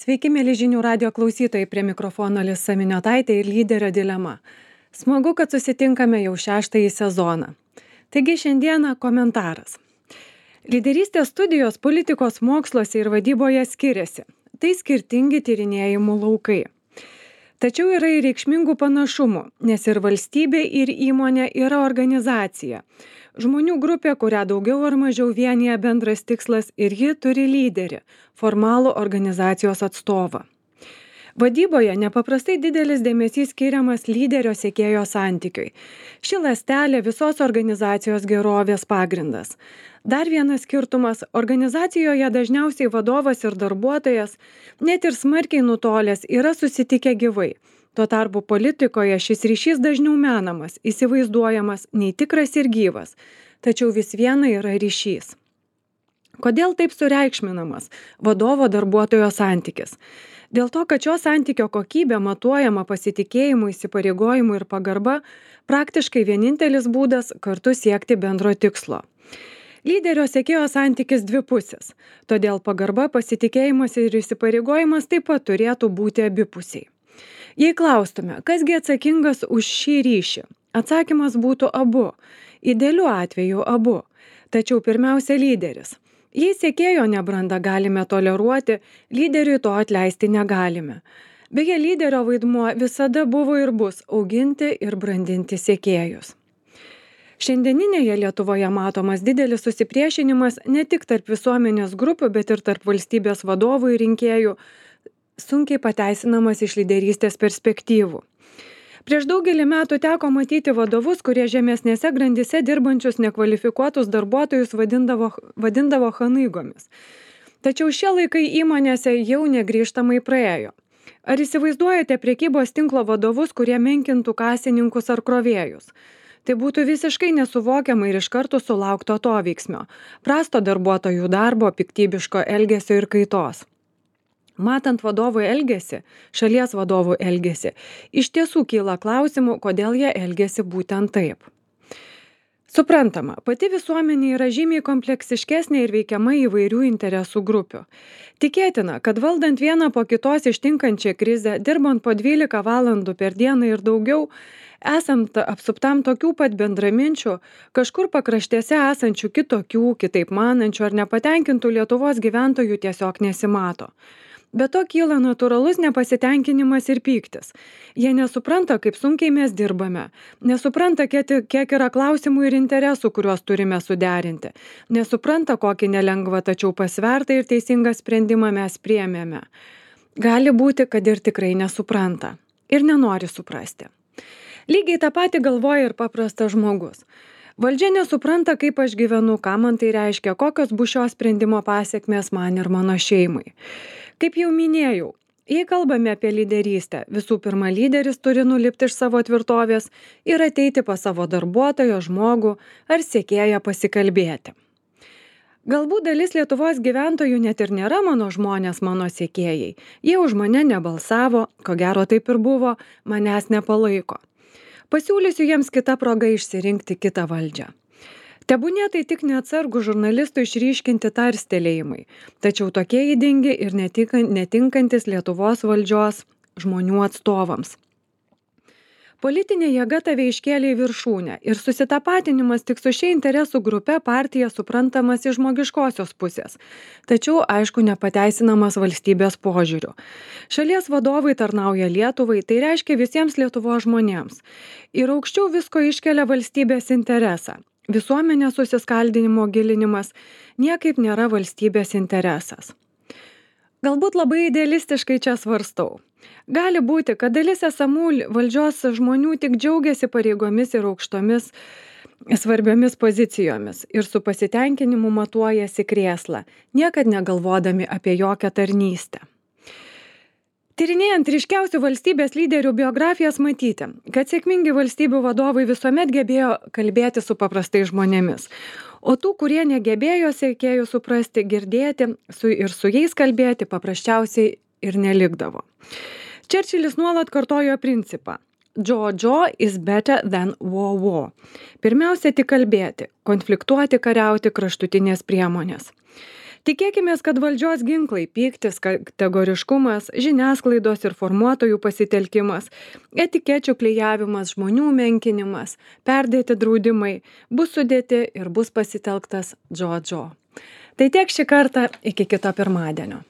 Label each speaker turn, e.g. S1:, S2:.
S1: Sveiki, mėly žinių radio klausytojai, prie mikrofono Lisa Miniotaitė ir lyderio dilema. Smagu, kad susitinkame jau 6-ąjį sezoną. Taigi šiandieną komentaras. Lyderystės studijos politikos moksluose ir vadyboje skiriasi. Tai skirtingi tyrinėjimų laukai. Tačiau yra ir reikšmingų panašumų, nes ir valstybė, ir įmonė yra organizacija. Žmonių grupė, kurią daugiau ar mažiau vienyje bendras tikslas, ir ji turi lyderį, formalų organizacijos atstovą. Vadyboje nepaprastai didelis dėmesys skiriamas lyderio sekėjo santykiui. Ši ląstelė visos organizacijos gerovės pagrindas. Dar vienas skirtumas – organizacijoje dažniausiai vadovas ir darbuotojas, net ir smarkiai nutolęs, yra susitikę gyvai. Tuo tarpu politikoje šis ryšys dažniau menamas, įsivaizduojamas, nei tikras ir gyvas, tačiau vis viena yra ryšys. Kodėl taip sureikšminamas vadovo darbuotojo santykis? Dėl to, kad šio santykio kokybė matuojama pasitikėjimu, įsipareigojimu ir pagarba, praktiškai vienintelis būdas kartu siekti bendro tikslo. Lyderio sekėjo santykis dvipusis, todėl pagarba, pasitikėjimas ir įsipareigojimas taip pat turėtų būti abipusiai. Jei klaustume, kasgi atsakingas už šį ryšį, atsakymas būtų abu, idealiu atveju abu, tačiau pirmiausia lyderis. Jei sekėjo nebrandą galime toleruoti, lyderiui to atleisti negalime. Beje, lyderio vaidmuo visada buvo ir bus auginti ir brandinti sekėjus. Šiandieninėje Lietuvoje matomas didelis susipriešinimas ne tik tarp visuomenės grupių, bet ir tarp valstybės vadovų ir rinkėjų, sunkiai pateisinamas iš lyderystės perspektyvų. Prieš daugelį metų teko matyti vadovus, kurie žemesnėse grandyse dirbančius nekvalifikuotus darbuotojus vadindavo chanaigomis. Tačiau šie laikai įmonėse jau negrįžtamai praėjo. Ar įsivaizduojate prekybos tinklo vadovus, kurie menkintų kasininkus ar krovėjus? Tai būtų visiškai nesuvokiama ir iš karto sulaukto atoveiksmio, prasto darbuotojų darbo, piktybiško elgesio ir kaitos. Matant vadovų elgesį, šalies vadovų elgesį, iš tiesų kyla klausimų, kodėl jie elgesi būtent taip. Suprantama, pati visuomenė yra žymiai kompleksiškesnė ir veikiama įvairių interesų grupių. Tikėtina, kad valdant vieną po kitos ištinkančią krizę, dirbant po 12 valandų per dieną ir daugiau, esant apsuptam tokių pat bendraminčių, kažkur pakraštėse esančių kitokių, kitaip manančių ar nepatenkintų Lietuvos gyventojų tiesiog nesimato. Be to kyla natūralus nepasitenkinimas ir pyktis. Jie nesupranta, kaip sunkiai mes dirbame, nesupranta, kiek yra klausimų ir interesų, kuriuos turime suderinti, nesupranta, kokį nelengvą, tačiau pasvertą ir teisingą sprendimą mes priėmėme. Gali būti, kad ir tikrai nesupranta ir nenori suprasti. Lygiai tą patį galvoja ir paprastas žmogus. Valdžia nesupranta, kaip aš gyvenu, ką man tai reiškia, kokios bus šio sprendimo pasekmės man ir mano šeimai. Kaip jau minėjau, jei kalbame apie lyderystę, visų pirma lyderis turi nulipti iš savo tvirtovės ir ateiti pas savo darbuotojo, žmogų ar sekėją pasikalbėti. Galbūt dalis Lietuvos gyventojų net ir nėra mano žmonės, mano sekėjai. Jie už mane nebalsavo, ko gero taip ir buvo, manęs nepalaiko. Pasiūlysiu jiems kitą progą išsirinkti kitą valdžią. Tebūnie tai tik neatsargų žurnalistų išryškinti tarstelėjimai, tačiau tokie ydingi ir netinkantis Lietuvos valdžios žmonių atstovams. Politinė jėga tave iškėlė į viršūnę ir susitapatinimas tik su šia interesų grupe partija suprantamas iš žmogiškosios pusės, tačiau aišku nepateisinamas valstybės požiūriu. Šalies vadovai tarnauja Lietuvai, tai reiškia visiems Lietuvos žmonėms. Ir aukščiau visko iškelia valstybės interesą. Visuomenės susiskaldinimo gilinimas niekaip nėra valstybės interesas. Galbūt labai idealistiškai čia svarstau. Gali būti, kad dalis esamų valdžios žmonių tik džiaugiasi pareigomis ir aukštomis svarbiomis pozicijomis ir su pasitenkinimu matuojasi krėslą, niekad negalvodami apie jokią tarnystę. Tyrinėjant ryškiausių valstybės lyderių biografijas matyti, kad sėkmingi valstybių vadovai visuomet gebėjo kalbėti su paprastais žmonėmis, o tų, kurie negebėjo sekėjų suprasti, girdėti ir su jais kalbėti paprasčiausiai ir nelikdavo. Čerčilis nuolat kartojo principą "Joe is better than war". Pirmiausia tik kalbėti, konfliktuoti, kariauti kraštutinės priemonės. Tikėkimės, kad valdžios ginklai - pyktis, kategoriškumas, žiniasklaidos ir formuotojų pasitelkimas, etikečių klijavimas, žmonių menkinimas, perdėti draudimai - bus sudėti ir bus pasitelktas džodžo. Tai tiek šį kartą, iki kito pirmadienio.